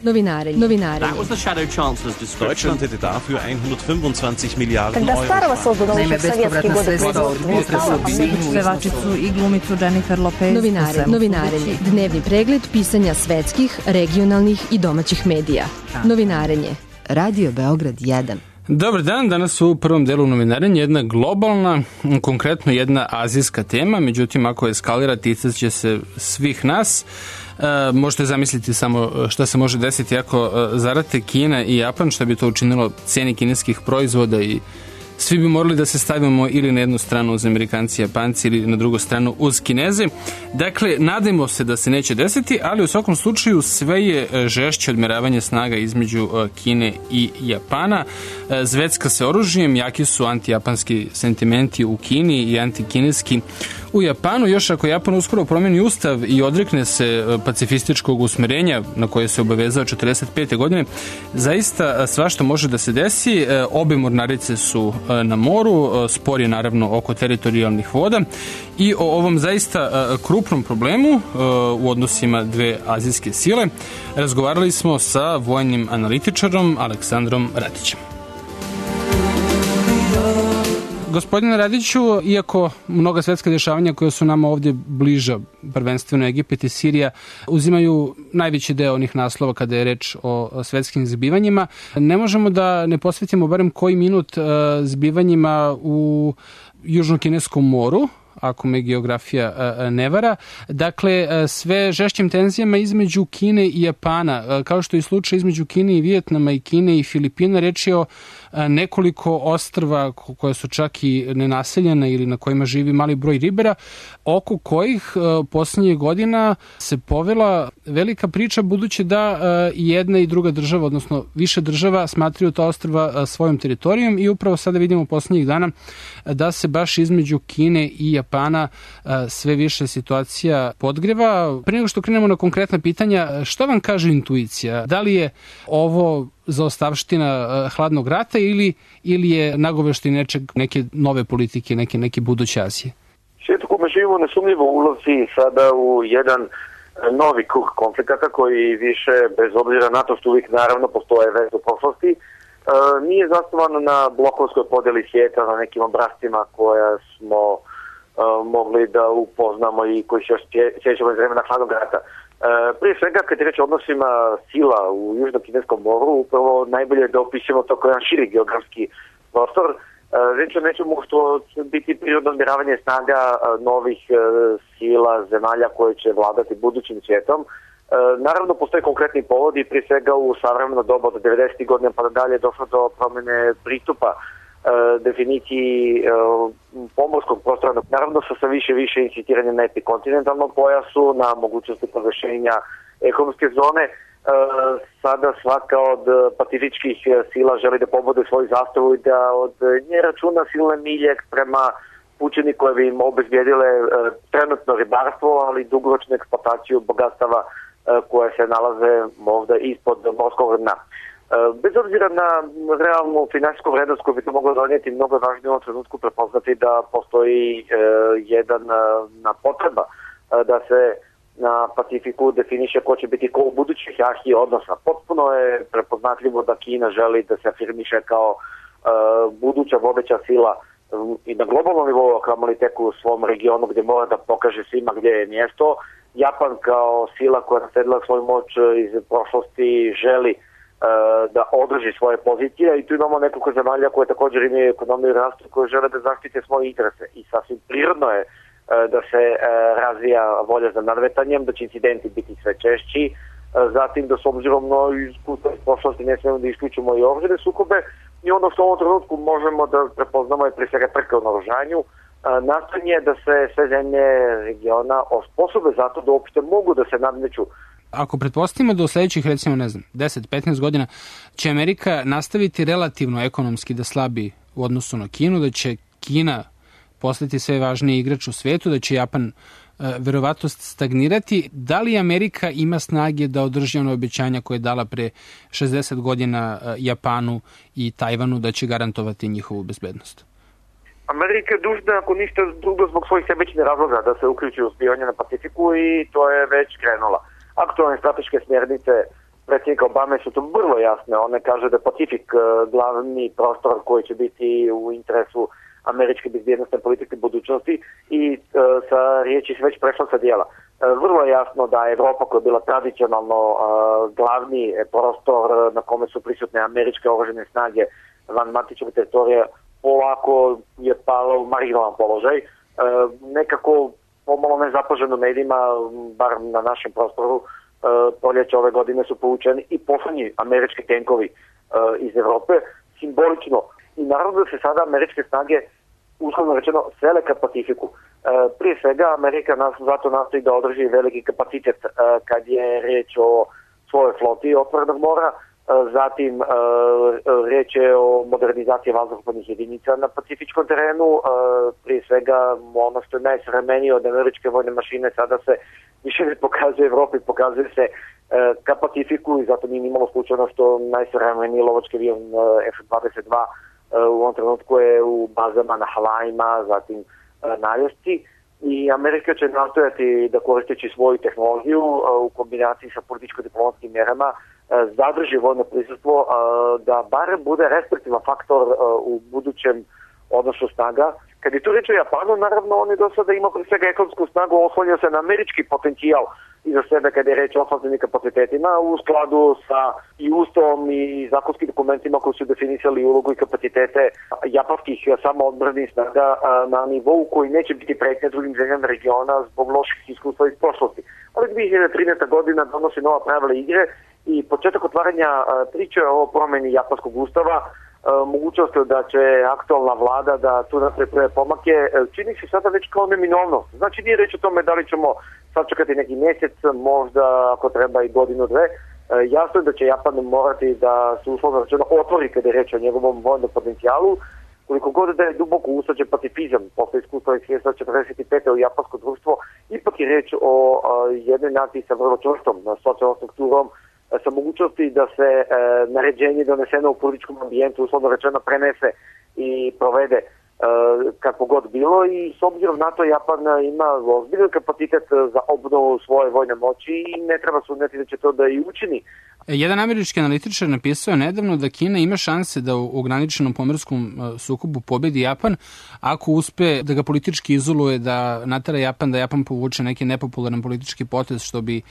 Novinarenje. That was the Shadow Chancellor's description. Deutschland hätte dafür 125 Milijarden Когда старого создано еще в советские годы Pevačicu i glumicu Jennifer Lopez. Novinarenje. Dnevni pregled pisanja svetskih, regionalnih i domaćih medija. Novinarenje. Radio Beograd 1. Dobar dan, danas u prvom delu novinarenja jedna globalna, konkretno jedna azijska tema, međutim ako eskalira ticat će se svih nas. Možete zamisliti samo šta se može desiti ako zarate Kina i Japan, šta bi to učinilo ceni kineskih proizvoda i svi bi morali da se stavimo ili na jednu stranu uz Amerikanci i Japanci ili na drugu stranu uz Kineze. Dakle, nadajmo se da se neće desiti, ali u svakom slučaju sve je žešće odmeravanje snaga između Kine i Japana. Zvecka se oružjem, jaki su antijapanski sentimenti u Kini i antikineski u Japanu. Još ako Japan uskoro promeni ustav i odrekne se pacifističkog usmerenja na koje se obavezao 45. godine, zaista svašta može da se desi. Obe mornarice su na moru, spor je naravno oko teritorijalnih voda i o ovom zaista krupnom problemu u odnosima dve azijske sile razgovarali smo sa vojnim analitičarom Aleksandrom Radićem. Gospodine Radiću, iako mnoga svetska dešavanja koja su nama ovdje bliža, prvenstveno Egipat i Sirija, uzimaju najveći deo onih naslova kada je reč o svetskim zbivanjima, ne možemo da ne posvetimo barem koji minut zbivanjima u Južno-Kineskom moru, ako me geografija ne vara. Dakle, sve žešćim tenzijama između Kine i Japana, kao što je slučaj između Kine i Vijetnama i Kine i Filipina, reč je o nekoliko ostrva koja su čak i nenaseljena ili na kojima živi mali broj ribara, oko kojih poslednjih godina se povela velika priča, budući da jedna i druga država, odnosno više država, smatraju ta ostrva svojom teritorijom i upravo sada vidimo poslednjih dana da se baš između Kine i Japana sve više situacija podgreva. Prije nego što krenemo na konkretna pitanja, što vam kaže intuicija? Da li je ovo zaostavština hladnog rata ili je nagoveštaj neke nove politike, neke buduće Azije? Svijet u kome živimo nesumnjivo ulazi sada u jedan novi krug konflikata koji više, bez obzira na to što uvijek naravno postoje veze u prošlosti, nije zasnovan na blokovskoj podeli svijeta, na nekim obrascima koja smo mogli da upoznamo i koji se još sjećamo iz vremena hladnog rata. Prije svega, kad je reč o odnosima sila u Južno-Kineskom moru, upravo najbolje da opišemo to kao jedan širi geografski prostor. Reč o nečemu što će biti prirodno odmjeravanje snaga novih sila, zemalja koje će vladati budućim svijetom. Naravno, postoje konkretni povodi, prije svega u savremeno doba od 90. godina pa dalje došlo do promjene pristupa definiciji pomorskog prostora, naravno sa više incitiranja na epikontinentalnom pojasu, na mogućnosti proglašenja ekonomske zone. Sada svaka od pacifičkih sila želi da pobode svoju zastavu i da od nje računa silne milje prema pučini koje bi im obezbijedile trenutno ribarstvo, ali dugoročnu eksploataciju bogatstava koje se nalaze možda ispod morskog dna. Bez obzira na realnu finansijsku vrednost koju bi to moglo donijeti, mnogo je važnije u ovom trenutku prepoznati da postoji jedna potreba da se na Pacifiku definiše ko će biti ko u budućih hijerarhiji odnosa. Potpuno je prepoznatljivo da Kina želi da se afirmiše kao buduća vodeća sila i na globalnom nivou, kamoli tek u svom regionu gdje mora da pokaže svima gdje je mjesto. Japan kao sila koja je nasledila svoju moć iz prošlosti želi da održi svoje pozicije i tu imamo nekoliko zemalja koje također imaju ekonomiju i rastu koje žele da zaštite svoje interese i sasvim prirodno je da se razvija volja za nadmetanjem, da će incidenti biti sve češći, zatim da s obzirom na iskustvo iz prošlosti ne smijemo da isključimo i oružane sukobe i ono što u ovom trenutku možemo da prepoznamo je prije svega trka u naoružanju, nastojanje da se sve zemlje regiona osposobe zato da uopšte mogu da se nadmeću. Ako pretpostavimo da u sljedećih, recimo, 10-15 godina će Amerika nastaviti relativno ekonomski da slabi u odnosu na Kinu, da će Kina postati sve važniji igrač u svijetu, da će Japan verovatno stagnirati, da li Amerika ima snage da održi ono obećanja koje je dala pre 60 godina Japanu i Tajvanu da će garantovati njihovu bezbednost? Amerika je dužna, ako ništa drugo, zbog svojih sebičnih razloga da se uključi u zbivanje na Pacifiku i to je već krenula. Aktualne strateške smjernice predsjednika Obame su to vrlo jasne. One kaže da je Pacifik glavni prostor koji će biti u interesu američke bezbjednostne politike budućnosti i sa riječi se već prešla sa dijela. Vrlo je jasno da Evropa, koja je bila tradicionalno glavni prostor na kome su prisutne američke oružane snage van matičnog teritorija, polako je pala u marginalan položaj. Nekako pomalo nezapaženo medijima, bar na našem prostoru, proljeća ove godine su povučeni i poslednji američki tenkovi iz Evrope, simbolično. I naravno da se sada američke snage, uslovno rečeno, sele ka Pacifiku. Prije svega, Amerika zato nastoji da održi veliki kapacitet kad je reč o svojoj floti otvorenog mora, zatim reč je o modernizaciji vazduhoplovnih jedinica na pacifičkom terenu, prije svega ono što je najsavremenije od američke vojne mašine sada se više ne pokazuje Evropi, pokazuje se ka Pacifiku i zato nije nimalo slučajno što najsavremeniji lovački avion F-22 u ovom trenutku je u bazama na Havajima, zatim na Aljasci i Amerika će nastojati da koristeći svoju tehnologiju u kombinaciji sa političko-diplomatskim mjerama zadrži vojno prisustvo da bar bude restriktivan faktor u budućem odnosu snaga. Kad je tu reč o Japanu, naravno on je do sada imao pre svega ekonomsku snagu, oslonio se na američki potencijal iza sebe kad je reč o ofenzivnim kapacitetima u skladu sa i Ustavom i zakonskim dokumentima koji su definisali ulogu i kapacitete japanskih samoodbrambnih snaga na nivou koji neće biti pretnja drugim zemljama regiona zbog loših iskustva iz prošlosti. Ali 2013. godina donosi nova pravila igre i početak otvaranja priče o promeni japanskog ustava, mogućnost da će aktualna vlada da tu napravi prve pomake, čini se sada već kao neminovnost. Znači nije reč o tome da li ćemo sačekati neki mjesec, možda ako treba i godinu, dve. Jasno je da će Japan morati da se uslovno rečeno otvori kada je reč o njegovom vojnom potencijalu, koliko god da je duboko usađen pacifizam posle iskustva iz 1945. u japansko društvo, ipak je reč o jednoj naciji sa vrlo čvrstom socijalnom strukturom, sa mogućnosti da se naređenje doneseno u političkom ambijentu uslovno rečeno prenese i provede kako god bilo i s obzirom na to Japan ima ozbiljan kapacitet za obnovu svoje vojne moći i ne treba sumnjati da će to da i učini. Jedan američki analitičar napisao je nedavno da Kina ima šanse da u ograničenom pomorskom sukobu pobedi Japan ako uspe da ga politički izoluje, da natera Japan, da Japan povuče neki nepopularan politički potez što bi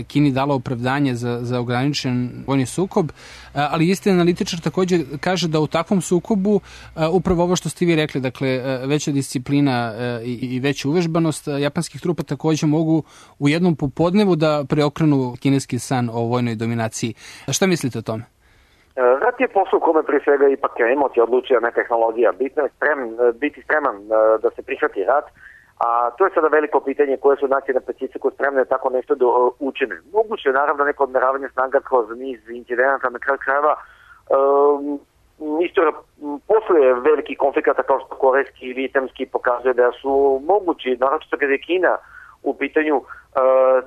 Kini dalo opravdanje za ograničen vojni sukob. Ali isti analitičar također kaže da u takvom sukobu upravo ovo što ste vi rekli, dakle veća disciplina i veća uvežbanost japanskih trupa također mogu u jednom popodnevu da preokrenu kineski san o vojnoj dominaciji. Šta mislite o tome? Rat je posao u kome prije svega ipak emocija odlučuje, ne tehnologija. Bitno je biti spreman da se prihvati rat, a to je sada veliko pitanje koje su nacije na Pacifiku spremne tako nešto da učine. Moguće je naravno neko odmeravanje snaga kroz niz incidenata na kraju krajeva. Istorija posle velikih konflikata kao što korejski i vijetnamski pokazuje da su mogući, naročito kada je Kina u pitanju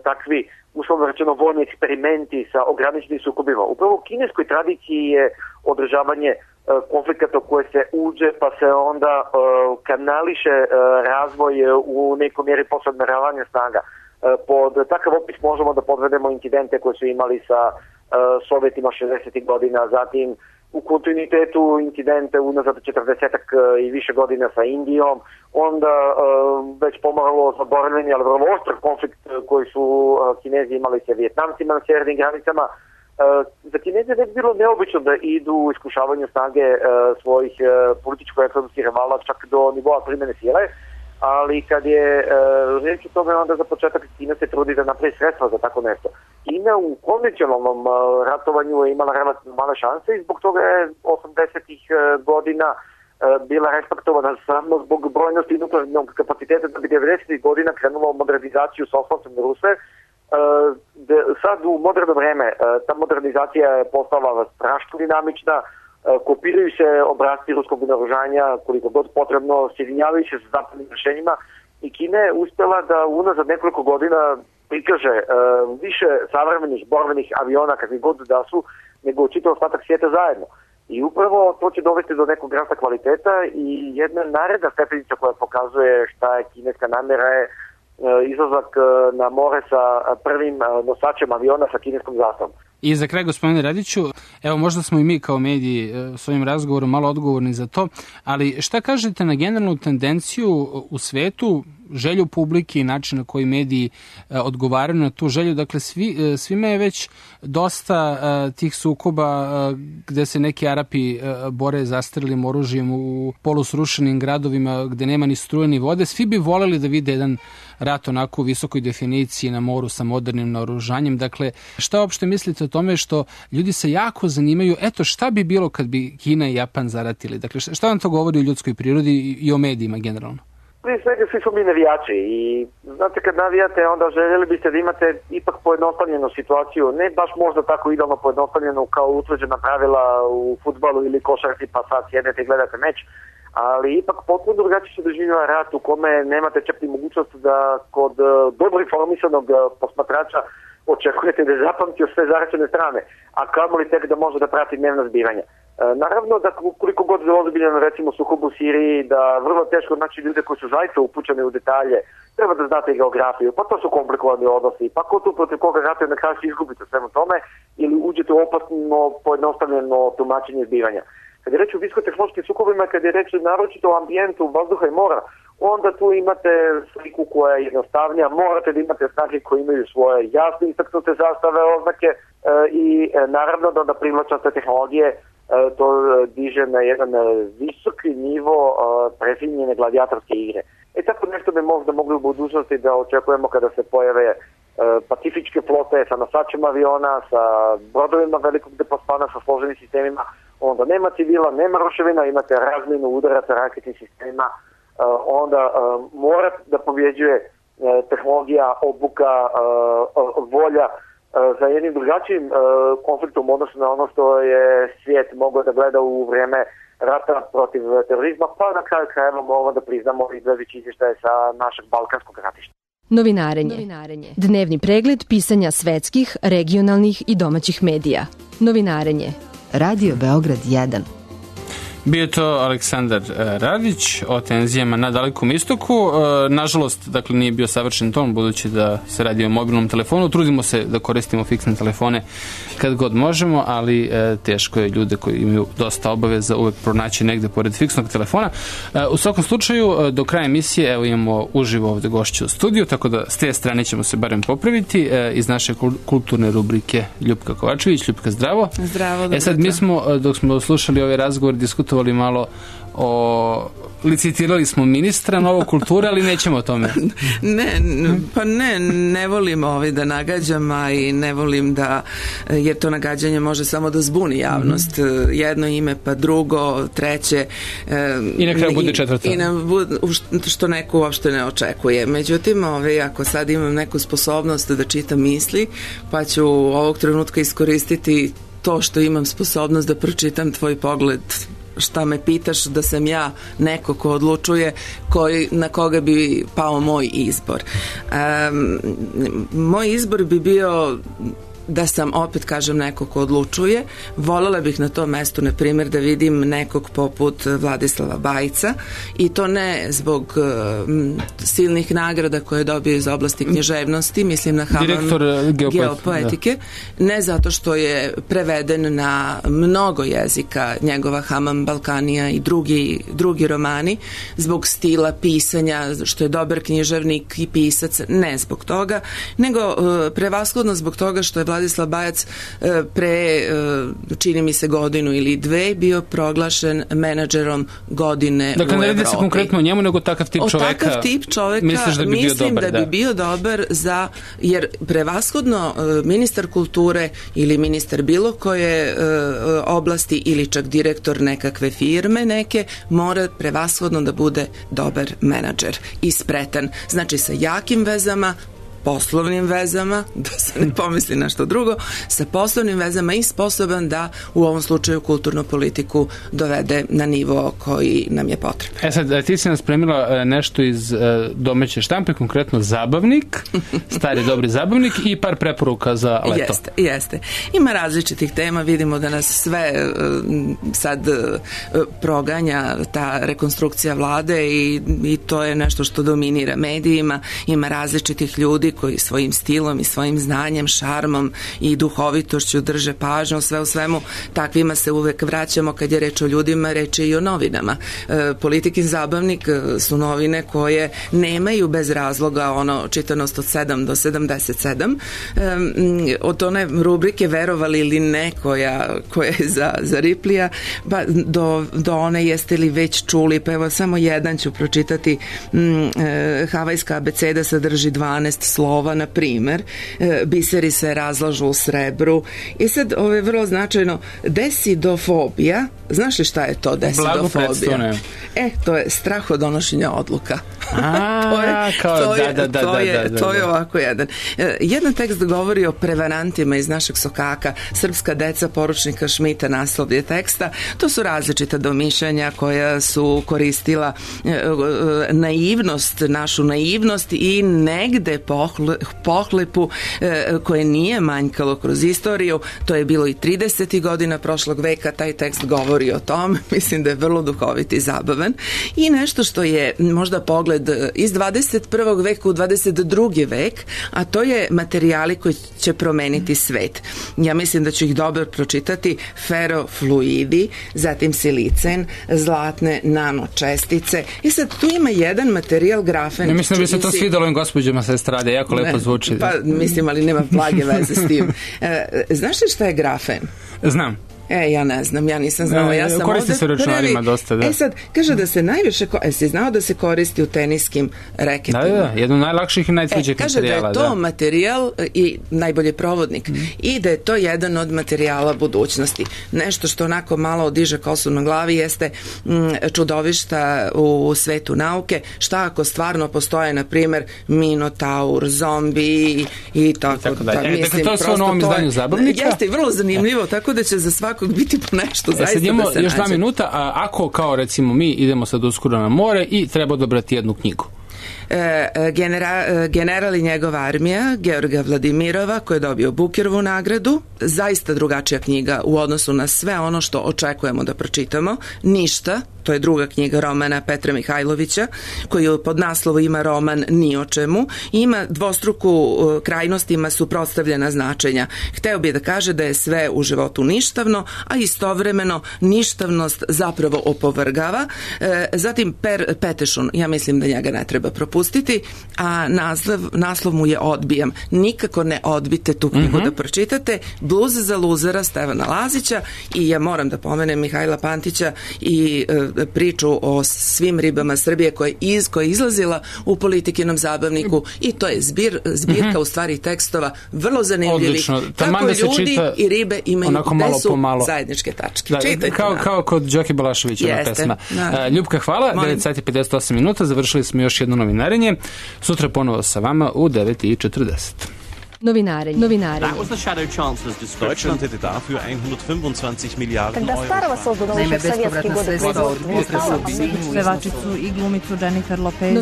takvi uslovno rečeno vojni eksperimenti sa ograničenim sukobima. Upravo u kineskoj tradiciji je održavanje konflikata u koje se uđe pa se onda kanališe razvoj u nekoj mjeri posle odmeravanja snaga. Pod takav opis možemo da podvedemo incidente koje su imali sa Sovjetima 60. godina, zatim u kontinuitetu incidente unazad 40-ak i više godina sa Indijom, onda već pomalo zaboravljeni, ali vrlo oštar konflikt koji su Kinezi imali sa Vijetnamcima na sjevernim granicama. Za Kineze ne bi bilo neobično da idu u iskušavanju snage svojih političko-ekonomskih rivala čak do nivoa primjene sile, ali kad je reč o tome, onda za početak Kina se trudi da napravi sredstva za tako nešto. Kina u konvencionalnom ratovanju je imala relativno male šanse i zbog toga je 80-ih godina bila respektovana samo zbog brojnosti nuklearnog kapaciteta da bi 90-ih godina krenula u modernizaciju sa oslancem Ruse. Sad u moderno vreme ta modernizacija je postala strašno dinamična, kopiraju se obrazci ruskog naoružanja koliko god potrebno, sjedinjavaju se sa zapadnim rešenjima i Kina je uspjela da unazad nekoliko godina prikaže više savremenih borbenih aviona kakvi god da su nego čitav ostatak svijeta zajedno. I upravo to će dovesti do nekog rasta kvaliteta i jedna naredna stepenica koja pokazuje šta je kineska namjera je izlazak na more sa prvim nosačem aviona sa kineskom zastavom. I za kraj, gospodine Radiću, evo možda smo i mi kao mediji s ovim razgovorom malo odgovorni za to, ali šta kažete na generalnu tendenciju u svetu, želju publike i način na koji mediji odgovaraju na tu želju? Dakle, svima je već dosta tih sukoba gde se neki Arapi bore zastarjelim oružjem u polusrušenim gradovima gde nema ni struje ni vode. Svi bi voleli da vide jedan rat onako u visokoj definiciji na moru sa modernim naoružanjem. Dakle, šta uopšte mislite o tome što ljudi se jako zanimaju, eto šta bi bilo kad bi Kina i Japan zaratili? Dakle, šta vam to govori o ljudskoj prirodi i o medijima generalno? Prije svega svi smo mi navijači i znate kad navijate onda željeli biste da imate ipak pojednostavljenu situaciju, ne baš možda tako idealno pojednostavljenu kao utvrđena pravila u fudbalu ili košarci pa sad sjednete i gledate meč, ali ipak potpuno drugačije se doživljava rat u kome nemate čak ni mogućnost da kod dobro informisanog posmatrača očekujete da je zapamtio sve zaračene strane, a kamoli tek da može da prati dnevna zbivanja. Naravno da koliko god je ozbiljeno recimo sukob u Siriji, da vrlo teško naći ljude koji su zaista upućeni u detalje, treba da znate geografiju, pa to su komplikovani odnosi, pa ko tu protiv koga ratuje na kraju se izgubite svemu tome ili uđete u opasno pojednostavljeno tumačenje zbivanja. Kad je reč o visokotehnološkim sukobima, kad je reč naročito o ambijentu vazduha i mora, onda tu imate sliku koja je jednostavnija, morate da imate snage koje imaju svoje jasne istaknute zastave, oznake i naravno da privlačate tehnologije to diže na jedan visoki nivo prefinjene gladijatorske igre. Tako nešto bi možda mogli u budućnosti da očekujemo kada se pojave pacifičke flote sa nosačem aviona, sa brodovima velikog depospana, sa složenim sistemima, onda nema civila, nema ruševina, imate razmjenu udara sa raketnim sistemima, onda mora da pobjeđuje tehnologija, obuka, volja za jednim drugačijim konfliktom odnosno na ono što je svijet mogao da gleda u vrijeme rata protiv terorizma, pa na kraju krajeva moramo da priznamo i gledajući izvještaje sa našeg balkanskog ratišta. Novinarenje. Dnevni pregled pisanja svetskih, regionalnih i domaćih medija. Novinarenje. Radio Beograd 1. Bio je to Aleksandar Radić o tenzijama na Dalekom istoku. Nažalost, dakle, nije bio savršen ton, budući da se radi o mobilnom telefonu. Trudimo se da koristimo fiksne telefone kad god možemo, ali teško je ljude koji imaju dosta obaveza uvek pronaći negde pored fiksnog telefona. U svakom slučaju, do kraja emisije, evo imamo uživo ovde gošću u studiju, tako da s te strane ćemo se barem popraviti. Iz naše kulturne rubrike Ljupka Kovačević. Ljupka, zdravo. Zdravo, dobro. Sad mi smo, dok smo slušali ovaj razgovor, diskutovali licitirali smo ministra novo kulture, ali nećemo o tome. Ne volim da nagađam, a i ne volim da, jer to nagađanje može samo da zbuni javnost. Jedno ime, pa drugo, treće. I na kraju bude četvrto. Što neko uopšte ne očekuje. Međutim, ako sad imam neku sposobnost da čitam misli, pa ću ovog trenutka iskoristiti to što imam sposobnost da pročitam tvoj pogled, šta me pitaš, da sam ja neko ko odlučuje na koga bi pao moj izbor. Moj izbor bi bio da sam, opet kažem, neko ko odlučuje. Voljela bih na tom mestu, na primjer, da vidim nekog poput Vladislava Bajca, i to ne zbog silnih nagrada koje je dobio iz oblasti književnosti, mislim na Haman geopoetike, ne zato što je preveden na mnogo jezika, njegova Haman Balkanija i drugi romani, zbog stila pisanja, što je dobar književnik i pisac, ne zbog toga, nego prevashodno zbog toga što je Vladislav Bajac pre, čini mi se, godinu ili dve bio proglašen menadžerom godine u Evropi. Dakle, ne radi se konkretno o njemu, nego takav tip čoveka. Takav tip čoveka mislim da bi bio dobar za, jer prevashodno ministar kulture ili ministar bilo koje oblasti ili čak direktor nekakve firme neke mora prevashodno da bude dobar menadžer i spretan. Znači sa jakim vezama, poslovnim vezama, da se ne pomisli na što drugo, sa poslovnim vezama i sposoban da u ovom slučaju kulturnu politiku dovede na nivo koji nam je potreban. Sad, ti si nas spremila nešto iz domaće štampe, konkretno Zabavnik, stari dobri Zabavnik i par preporuka za leto. Jeste. Ima različitih tema, vidimo da nas sve sad proganja ta rekonstrukcija vlade i to je nešto što dominira medijima. Ima različitih ljudi koji svojim stilom i svojim znanjem, šarmom i duhovitošću drže pažnju. Sve u svemu, takvima se uvek vraćamo kad je reč o ljudima, reč je i o novinama. Politikin zabavnik su novine koje nemaju bez razloga čitanost od 7 do 77. Od one rubrike Verovali ili ne koja je za Riplija, pa do one Jeste li već čuli, pa evo samo jedan ću pročitati. Havajska abeceda sadrži 12 slova, na primer, biseri se razlažu u srebru. I sad, ovo je vrlo značajno, desidofobija. Znaš li šta je to desidofobija? To je strah od donošenja odluka. To je ovako jedan. Jedan tekst govori o prevarantima iz našeg sokaka, Srpska deca poručnika Šmita, naslov je teksta. To su različita domišljanja koja su koristila našu naivnost i negde pohlepu koje nije manjkalo kroz istoriju. To je bilo i 30. godina prošlog veka, taj tekst govori o tom. Mislim da je vrlo duhovit i zabavan. I nešto što je možda pogled iz 21. veka u 22. vek, a to je materijali koji će promeniti svet. Ja mislim da ću ih dobro pročitati. Ferofluidi, zatim silicen, zlatne nanočestice. I sad tu ima jedan materijal grafen. Ne mislim da bi se to svidalo ovim gospođama sa estrade, jako lepo zvuči. Pa mislim, ali nema blage veze s tim. Znaš li šta je grafen? Znam. Ja ne znam, ja nisam znala, ja sam koristi ovde se računarima dosta, da. Sad, kaže da se najviše, si znao da se koristi u teniskim reketima? Da, jedno od najlakših i najtvrđih materijala. Kaže da je to materijal i najbolji provodnik i da je to jedan od materijala budućnosti. Nešto što onako malo odiže kosu na glavi jeste čudovišta u svetu nauke. Šta ako stvarno postoje, na primer, minotaur, zombi i tako da. Dakle, to je sve u novom izdanju Zabavnika. Jeste, vrlo zanimljivo, tako da će za svakog biti po nešto, zaista sad imamo da se još nađe. 2 minuta, a ako kao recimo mi idemo sad uskoro na more i treba odabrati jednu knjigu. General i njegova armija Georga Vladimirova, koji je dobio Bukerovu nagradu, zaista drugačija knjiga u odnosu na sve ono što očekujemo da pročitamo. Ništa, to je druga knjiga romana Petra Mihajlovića, koji pod naslovom ima roman Ni o čemu, ima dvostruku krajnost, ima suprotstavljena značenja. Hteo bi da kaže da je sve u životu ništavno, a istovremeno ništavnost zapravo opovrgava. Zatim Per Petešun, ja mislim da njega ne treba propustiti, a naslov mu je Odbijam. Nikako ne odbite tu knjigu da pročitate. Bluz za luzera Stevana Lazića i ja moram da pomenem Mihajla Pantića i priču o svim ribama Srbije koja je izlazila u Politikinom zabavniku i to je zbirka u stvari tekstova vrlo zanimljivih. Kako ljudi i ribe imaju gde su zajedničke tačke. Kao kod Đoki Balaševića na pesma. Ljupka, hvala. 9:58 minuta. Završili smo još jedno novinarenje. Sutra ponovo sa vama u 9:40. Novinarenje. That was the Shadow Chancellor's description. Deutschland hätte dafür 125 Milliarden Когда Euro. старого создано еще в советские годы производства. Pevačicu i glumicu Jennifer Lopez.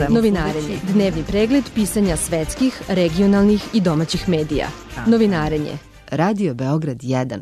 Novinarenje. Dnevni pregled pisanja svetskih, regionalnih i domaćih medija. Novinarenje. Radio Beograd 1.